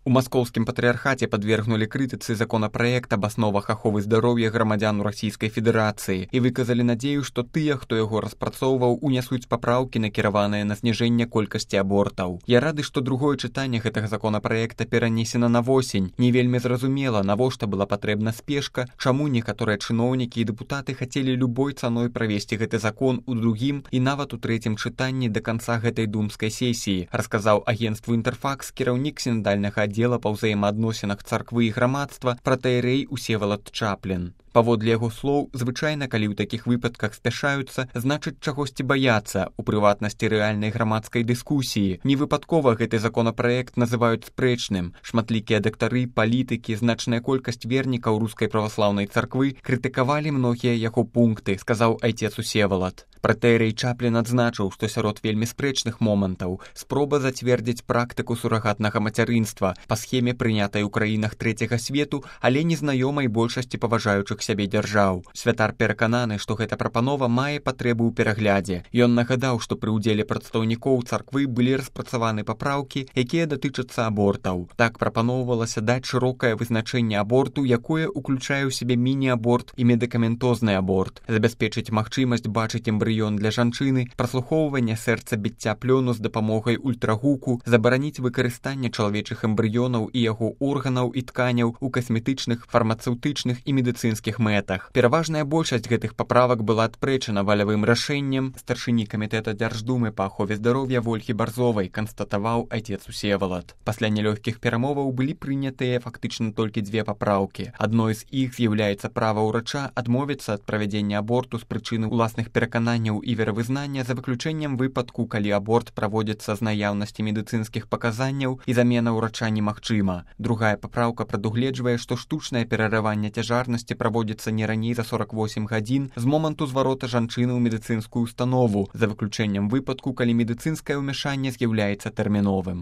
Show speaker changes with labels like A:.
A: У маскоўскім патрыархаце падвергнулі крытыцы законапраект аб асновах аховы здароўя грамадзян Расійскай Федэрацыі і выказалі надзею, што тыя, хто яго распрацоўваў, унясуць папраўкі, накіраваныя на зніжэнне колькасці абортаў. Я рады, што другое чытанне гэтага законапраекта перанесена на восень. Не вельмі зразумела, навошта была патрэбна спешка, чаму некаторыя чыноўнікі і дэпутаты хацелі любой цаной правесці гэты закон у другім і нават у трэцім чытанні да канца гэтай думскай сесіі, расказаў агенцтву «Інтэрфакс» кіраўнік сінадальнага аддзела па ўзаемаадносінах царквы і грамадства пратэерэй Усевалад Чаплін. Паводле яго слоў, звычайна, калі ў такіх выпадках спяшаюцца, значыць чагосьці баяцца, у прыватнасці рэальнай грамадскай дыскусіі. Невыпадкова гэты законапраект называюць спрэчным. Шматлікія дактары, палітыкі, значная колькасць вернікаў рускай праваслаўнай царквы крытыкавалі многія яго пункты, сказаў айцец Усевалад. Пратэерэй Чаплін адзначыў, што сярод вельмі спрэчных момантаў спроба зацвердзіць практыку сурагатнага мацярынства па схеме, прынятай у краінах трэцяга свету, але незнаёмай большасці паважаючых сябе дзяржаў. Святар перакананы, што гэта прапанова мае патрэбу ў пераглядзе. Ён нагадаў, што пры ўдзеле прадстаўнікоў царквы былі распрацаваны папраўкі, якія датычацца абортаў. Так прапаноўвалася даць шырокае вызначэнне аборту, якое ўключае ў сябе міні-аборт і медыкаментозны аборт, забяспечыць магчымасць бачыць эмбрыён для жанчыны, праслухоўванне сэрца-біцця плёну з дапамогай ультрагуку, забараніць выкарыстанне чалавечых эмбрыёнаў і яго органаў і тканяў у касметычных, фармацэўтычных і медыцынскіх мэтах. Пераважная большасць гэтых паправак была адпрэчана валявым рашэннем. Старшыні камітэта Дзярждумы па ахове здароўя Вольхі Барзовай канстатаваў айцец Усевалад. Пасля нялёгкіх перамоваў былі прынятыя фактычна толькі дзве папраўкі. Адной з іх з'яўляецца права ўрача адмовіцца ад правядзення аборту з прычыны ўласных перакананняў і веравызнання за выключэннем выпадку, калі аборт праводзіцца з наяўнасці медыцынскіх паказанняў і замена ўрача немагчыма. Другая папраўка прадугледжвае, што штучнае перарыванне цяжарнасці праводзіцца не раней за 48 гадзін з моманту зварота жанчыны ў медыцынскую установу, за выключэннем выпадку, калі медыцынскае ўмяшанне з'яўляецца тэрміновым.